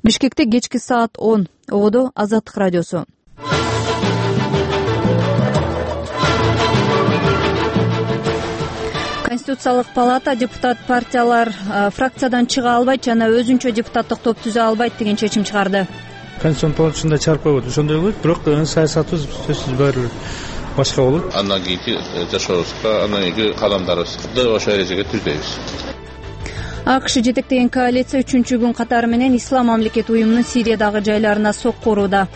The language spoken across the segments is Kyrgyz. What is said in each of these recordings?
Бишкекте кечки саат 10. Ободо Азаттык радиосу. Конституциялык палата депутат партиялар фракциядан чыга албайт жана өзүнчө депутаттык топ түзө албайт деген чечим чыгарды. Конституциялык палатасында чыгарып койбойт, ошондой болот, бирок саясатыбыз сөзсүз баары бир башка болот. Андан кийинки жашообузга, андан кийинки кадамдарыбызды ошол эрежеге түздөйбүз. АКШ жетектеген коалиция 3-чү күн катары менен Ислам мамлекети уюмунун Сириядагы жайларына сокку урууда.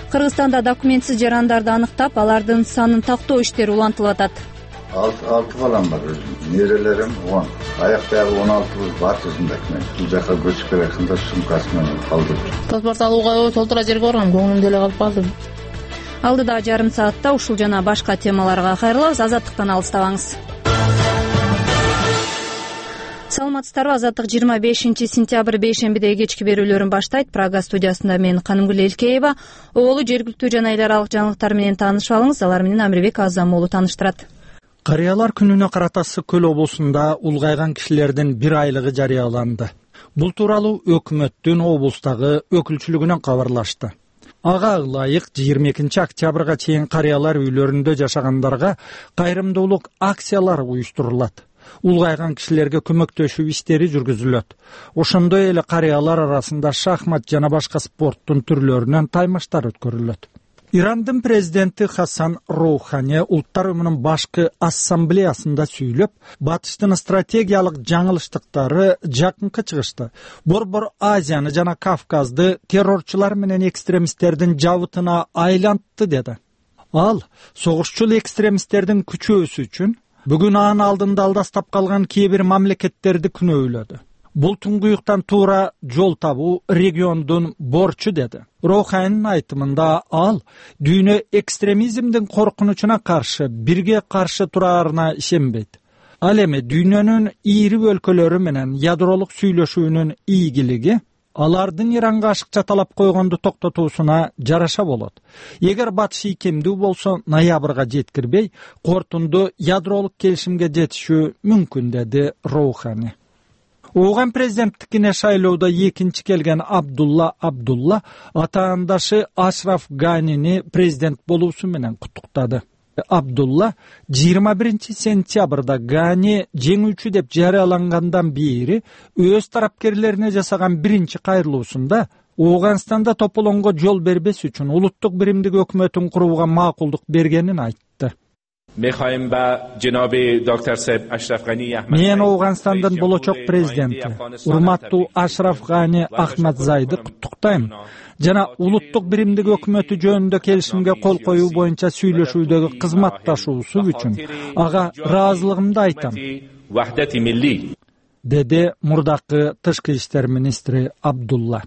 Кыргызстанда документсиз жарандарды аныктап, алардын санын тактоо иштери улантылып атат. 6 балам бар өзүм, нерелерим 10. Аяктагы 16 бар өзүмдө. Бул жака көчүп келгенде сумкасы менен калдым. Паспорт алууга толтура жерге баргам, көңүлүмдө эле калып калдым. Алдыдагы жарым саатта ушул жана башка темаларга кайрылабыз. Азаттыктан алыстабаңыз. Саламатсыздарбы? Азаттык 25-сентябрь бейшембидеги кечки берүүлөрүн баштайт. Прага студиясында мен Канымгүл Элкеева. Оболу жергиликтүү жана эл аралык жаңылыктар менен таанышып алыңыз. Алар менен Амирбек Азам уулу тааныштырат. Карыялар күнүнө карата Ысык көл облусунда улгайган кишилердин 1 айлыгы жарыяланды. Бул тууралуу өкмөттүн облустагы өкүлчүлүгүнөн кабарлашты. Ага ылайык 22 октябрга чейин карыялар үйлөрүндө жашагандарга кайрымдуулук акциялары уюштурулат. Улгайган кишилерге көмөктөшүү иштери жүргүзүлөт. Ошондой эле карыялар арасында шахмат жана башка спорттун түрлөрүнөн таймаштар өткөрүлөт. Ирандын президенти Хасан Роухани Улуттар уюмунун башкы ассамблеясында сүйлөп, батыштын стратегиялык жаңылыштыктары жакынкы чыгышты Борбор Азияны жана Кавказды террорчулар менен экстремисттердин жабытына айлантты деди. Ал согушчул экстремисттердин күчөөсү үчүн бүгүн анын алдында алдастап калган кээ бир мамлекеттерди күнөөлөдү. Бул туңгуюктан туура жол табуу региондун борчу деди. Роуханинин айтымында ал дүйнө экстремизмдин коркунучуна каршы бирге каршы тураарына ишенбейт. Ал эми дүйнөнүн ийри өлкөлөрү менен ядролук сүйлөшүүнүн ийгилиги алардын Иранга ашыкча талап койгонду токтотуусуна жараша болот. Эгер батыш ийкемдүү болсо, ноябрга жеткирбей, кортунду ядролук келишимге жетишүү мүмкүн, деди Роухани. Ооган президенттикине шайлоодо экинчи келген Абдулла атаандашы Ашраф Ганини президент болуусу менен куттуктады. Абдулла 21 сентябрда Гани жеңүүчү деп жарыялангандан бери өз тарапкерлерине жасаган биринчи кайрылуусунда Ооганстанда тополоңго жол бербес үчүн улуттук биримдик өкмөтүн курууга макулдук бергенин айтты. Мен Ооганстандын болочок президенти, урматтуу Ашраф Гани Ахмадзайды куттуктайм жана улуттук биримдик өкмөтү жөнүндө келишимге кол коюу боюнча сүйлөшүүдөгү кызматташуусу үчүн ага ыраазылыгымды айтам, деди мурдакы тышкы иштер министри Абдулла.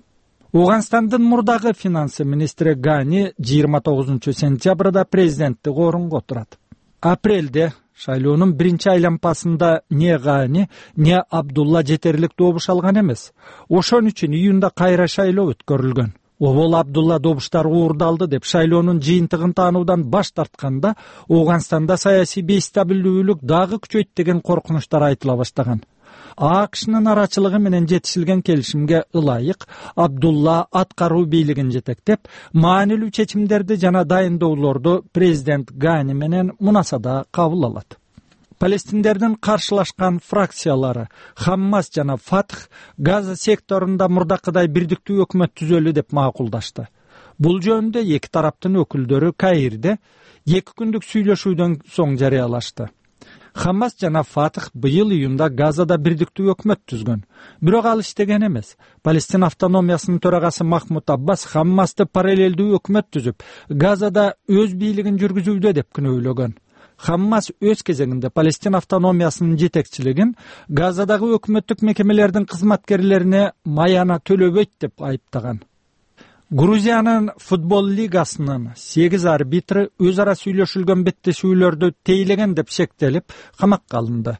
Ооганстандын мурдагы финансы министри Гани 29 сентябрда президенттик орунга отурат. Апрелде шайлоонун биринчи айланпасында не Гани, не Абдулла жетерлик добуш алган эмес. Ошон үчүн июнда кайра шайлоо өткөрүлгөн. Обол Абдулла добуштар уурдалды деп шайлоонун жыйынтыгын таануудан баш тартканда Ооганстанда саясий бейстабилдүүлүк дагы күчөйт деген коркунучтар айтыла баштаган. АКШнын арачылыгы менен жетишилген келишимге ылайык Абдулла аткаруу бийлигин жетектеп, маанилүү чечимдерди жана дайындоолорду президент Гани менен мунасада кабыл алат. Палестиндердин каршылашкан фракциялары Хаммас жана Фатх Газа секторунда мурдакыдай бирдиктүү өкмөт түзөлү деп макулдашты. Бул жөнүндө эки тараптын өкүлдөрү Каирде 2 күндүк сүйлөшүүдөн соң жарыялашты. Хаммас жана Фатх быйыл июнда Газада бирдиктүү өкмөт түзгөн. Бирок ал иштеген эмес. Палестин автономиясынын төрагасы Махмуд Аббас Хаммасты параллелдүү өкмөт түзүп, Газада өз бийлигин жүргүзүүдө деп күнөөлөгөн. Хаммас өз кезегинде Палестин автономиясынын жетекчилигин Газадагы өкмөттүк мекемелердин кызматкерлерине маяна төлөбөйт деп айыптаган. Грузиянын футбол лигасынын 8 арбитры өз ара сүйлөшүлгөн беттешүүлөрдү тейлеген деп шектелип, камакка алынды.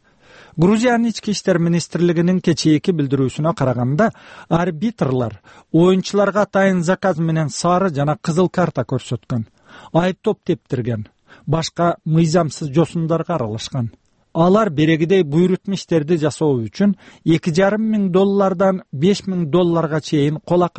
Грузиянын ички иштер министрлигинин кечээки билдирүүсүнө караганда, арбитрлар оюнчуларга атайын заказ менен сары жана кызыл карта көрсөткөн, айыптоп тептирген, башка мыйзамсыз жосундарга аралашкан. Алар берегидей буйрутма иштерди жасоо үчүн $2,5 миң $5,000 чейин колак